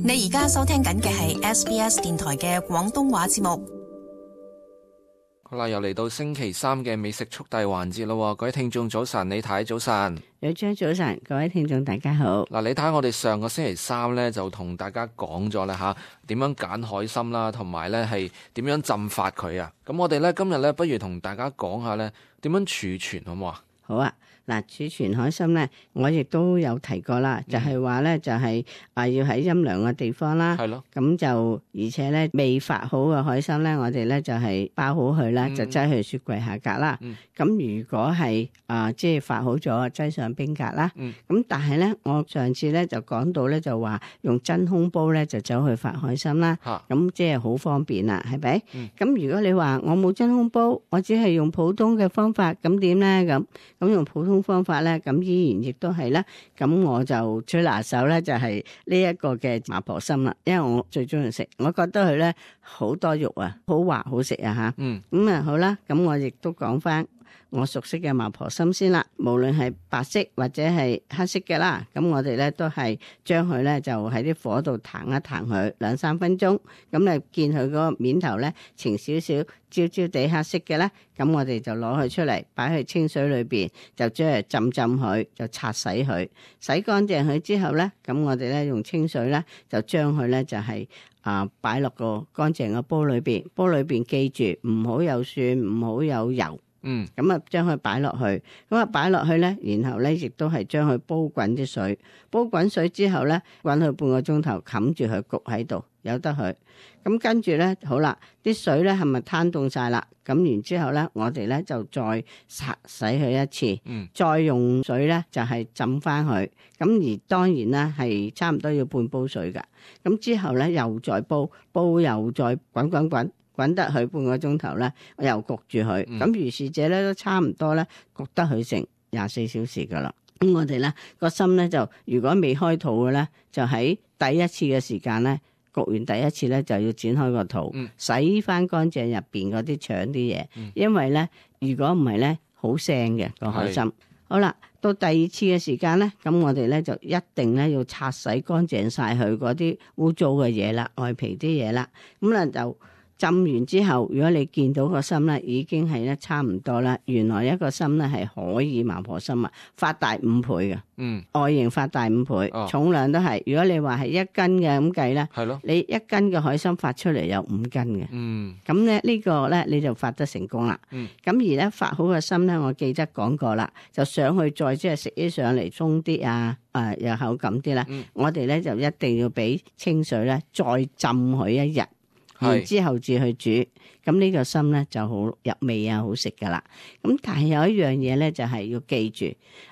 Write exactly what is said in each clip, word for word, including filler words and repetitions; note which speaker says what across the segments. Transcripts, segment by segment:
Speaker 1: 你而家收聽緊嘅係 S B S 電台嘅廣東話節目。
Speaker 2: 好啦，又嚟到星期三嘅美食速遞環節咯，各位聽眾早晨，李太早晨，
Speaker 3: 有張早晨，各位聽眾大家好。
Speaker 2: 嗱，李太，我哋上個星期三呢就同大家講咗啦吓，點樣揀海參啦，同埋呢係點樣浸發佢啊。咁我哋呢今日呢，不如同大家講下呢點樣儲存好唔好啊？
Speaker 3: 好啊。嗱，儲存海參咧，我亦都有提過啦，就係話咧，就係啊要喺陰涼嘅地方啦，係咯，咁就而且咧未發好嘅海參咧，我哋咧就係包好佢啦，就擠去雪櫃下格啦。咁、嗯、如果係啊即係發好咗，擠上冰格啦。咁、嗯、但係咧，我上次咧就講到咧就話用真空煲咧就走去發海參啦，咁即係好方便啦，係咪？咁、嗯、如果你話我冇真空煲，我只係用普通嘅方法，咁點咧？咁咁用普通方法咧，咁依然亦都係啦。咁我就最拿手咧，就係呢一個嘅麻婆參啦，因為我最中意食，我覺得佢咧好多肉啊，好滑好食啊吓。嗯，咁啊好啦，咁我亦都講翻我熟悉嘅麻婆參先啦。無論係白色或者係黑色嘅啦，咁我哋咧都係將佢咧就喺啲火度彈一彈佢兩三分鐘，咁你見佢嗰個面頭咧呈少少焦焦地黑色嘅咧，咁我哋就攞佢出嚟擺去清水裏邊，就將佢浸浸佢，就擦洗佢，洗乾淨佢之後咧，咁我哋咧用清水咧就將佢咧就係啊擺落個乾淨嘅煲裏邊，煲裏邊記住唔好有蒜，唔好有油。嗯，咁啊，將佢擺落去，咁啊擺落去咧，然後咧亦都係將佢煲滾啲水，煲滾水之後咧，滾佢半個鐘頭，冚住佢焗喺度，由得佢。咁跟住咧，好啦，啲水咧係咪攤凍晒啦？咁然之後咧，我哋咧就再擦洗佢一次，嗯，再用水咧就係浸翻佢。咁而當然啦，係差唔多要半煲水噶。咁之後咧又再煲，煲又再滾滾滾。滾得佢半個鐘頭咧，我又焗住佢。咁、嗯、如是者咧都差唔多咧，焗得佢成廿四小時噶啦。咁我哋咧個參咧就如果未開肚嘅咧，就喺第一次嘅時間咧焗完第一次咧就要剪開個肚，嗯、洗翻乾淨入邊嗰啲腸啲嘢，嗯、因為咧如果唔係咧好腥嘅個海參。好啦，到第二次嘅時間咧，咁我哋咧就一定咧要擦洗乾淨晒佢嗰啲污糟嘅嘢啦，外皮啲嘢啦，咁咧就。浸完之後，如果你見到個參咧已經係咧差唔多啦，原來一個參咧係可以麻婆參啊，發大五倍嘅，嗯，外形發大五倍，哦、重量都係。如果你話係一斤嘅咁計咧，係咯，你一斤嘅海參發出嚟有五斤嘅，嗯，咁咧呢個咧你就發得成功啦，嗯，咁而咧發好嘅參咧，我記得講過啦，就上去再即係食起上嚟鬆啲啊，誒、呃、有口感啲啦，嗯、我哋咧就一定要俾清水咧再浸佢一日。然之後至去煮，咁呢個參咧就好入味啊，好食噶啦。咁但係有一樣嘢咧，就係、是、要記住，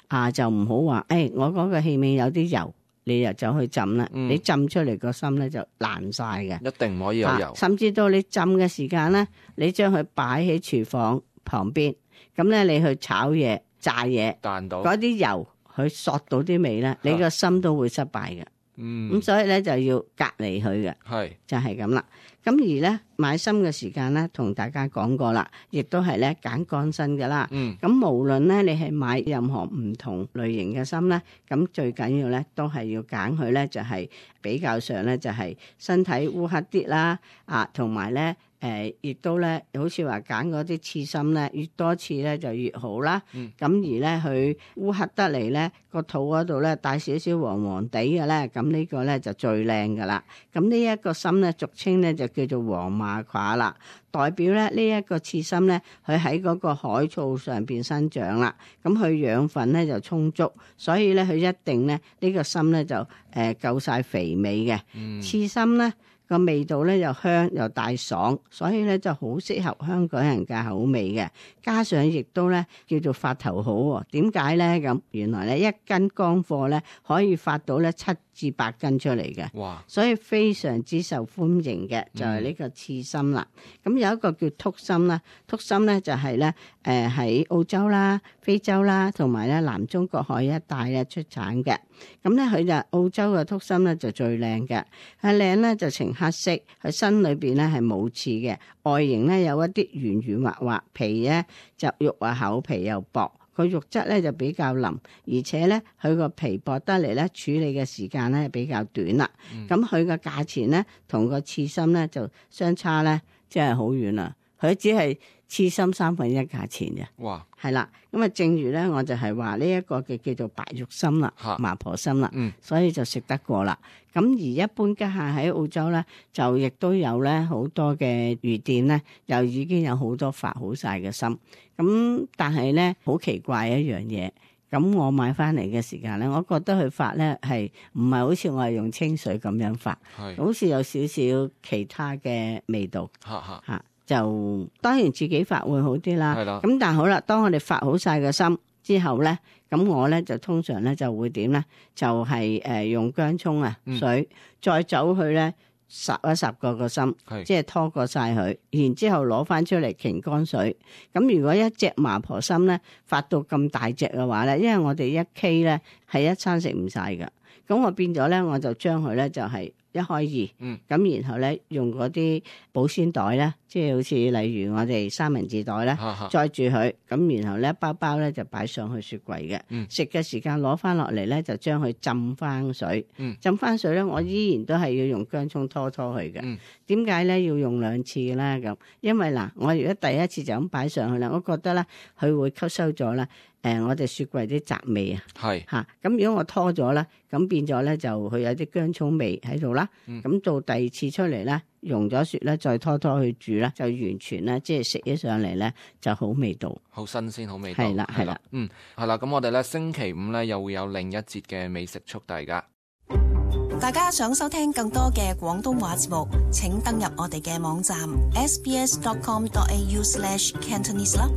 Speaker 3: 啊就唔好話，誒、哎、我嗰個器皿有啲油，你又走去浸啦，嗯、你浸出嚟個參咧就爛晒嘅，
Speaker 2: 一定唔可以有油。啊、甚
Speaker 3: 至到你浸嘅時間咧，你將佢擺喺廚房旁邊，咁咧你去炒嘢、炸嘢，彈到嗰啲油佢索到啲味咧，你個參都會失敗嘅。嗯，咁所以咧就要隔離佢嘅，係就係咁啦。咁而咧買參嘅時間咧，同大家講過啦，亦都係咧揀乾身嘅啦。嗯，咁無論咧你係買任何唔同類型嘅參咧，咁最緊要咧都係要揀佢咧就係比較上咧就係身體烏黑啲啦，啊同埋咧。誒，亦、呃、都咧，好似話揀嗰啲刺參咧，越多刺咧就越好啦。咁、嗯、而咧，佢烏黑得嚟咧，個肚嗰度咧帶少少黃黃地嘅咧，咁呢個咧就最靚噶啦。咁呢一個參咧，俗稱咧就叫做黃馬褂啦，代表咧呢一個刺參咧，佢喺嗰個海草上邊生長啦。咁佢養分咧就充足，所以咧佢一定咧呢、呢個參咧就誒、呃、夠晒肥美嘅。嗯、刺參咧。個味道咧又香又大爽，所以咧就好適合香港人嘅口味嘅。加上亦都咧叫做發頭好喎。點解咧咁？原來咧一斤乾貨咧可以發到咧七至八斤出嚟嘅。哇！所以非常之受歡迎嘅就係呢個刺參啦。咁、嗯、有一個叫禿參啦，禿參咧就係咧誒喺澳洲啦、非洲啦同埋咧南中國海一帶咧出產嘅。咁咧佢就澳洲嘅禿參咧就最靚嘅，係靚咧就呈黑色，佢身裏邊咧係冇刺嘅，外形咧有一啲圓圓滑滑，皮咧就肉啊厚皮又薄。個肉質咧就比較腍，而且咧佢個皮薄得嚟咧，處理嘅時間咧比較短啦。咁佢個價錢咧同個刺身咧就相差咧，即係好遠啦。佢只係刺身三分一價錢嘅。哇！係啦，咁啊，正如咧，我就係話呢一個嘅叫做白肉參啦，麻婆參啦，嗯，所以就食得過啦。咁而一般家下喺澳洲咧，就亦都有咧好多嘅魚店咧，又已經有好多發好晒嘅參。咁但係咧，好奇怪一樣嘢。咁我買翻嚟嘅時間咧，我覺得佢發咧係唔係好似我係用清水咁樣發，好似有少少其他嘅味道。嚇嚇嚇！就當然自己發會好啲啦。係啦。咁但係好啦，當我哋發好晒個參之後咧，咁我咧就通常咧就會點咧？就係、是、誒、呃、用薑葱啊水，嗯、再走去咧烚一烚個個參，即係拖過晒佢，然之後攞翻出嚟擎乾水。咁如果一隻麻婆參咧發到咁大隻嘅話咧，因為我哋一 K 咧係一餐食唔晒㗎，咁我變咗咧我就將佢咧就係、是。一開二，咁、嗯、然後咧用嗰啲保鮮袋咧，即係好似例如我哋三文治袋咧，載住佢，咁然後咧包包咧就擺上去雪櫃嘅。食嘅、嗯、時間攞翻落嚟咧，就將佢浸翻水。嗯、浸翻水咧，我依然都係要用薑葱拖拖佢嘅。點解咧要用兩次咧？咁因為嗱，我如果第一次就咁擺上去咧，我覺得咧佢會吸收咗咧。誒、呃，我哋雪櫃啲雜味啊，係嚇，咁如果我拖咗咧，咁變咗咧就佢有啲薑葱味喺度啦。咁、嗯、到第二次出嚟咧，溶咗雪咧，再拖拖去煮咧，就完全咧即係食起上嚟咧就好味道，好新鮮，好味道。係啦，係啦，嗯，係啦。咁我哋咧星期五咧又會有另一節嘅美食速遞㗎。
Speaker 1: 大家想收聽更多嘅廣東話節目，請登入我哋嘅網站 s b s dot com dot a u slash cantonese 啦。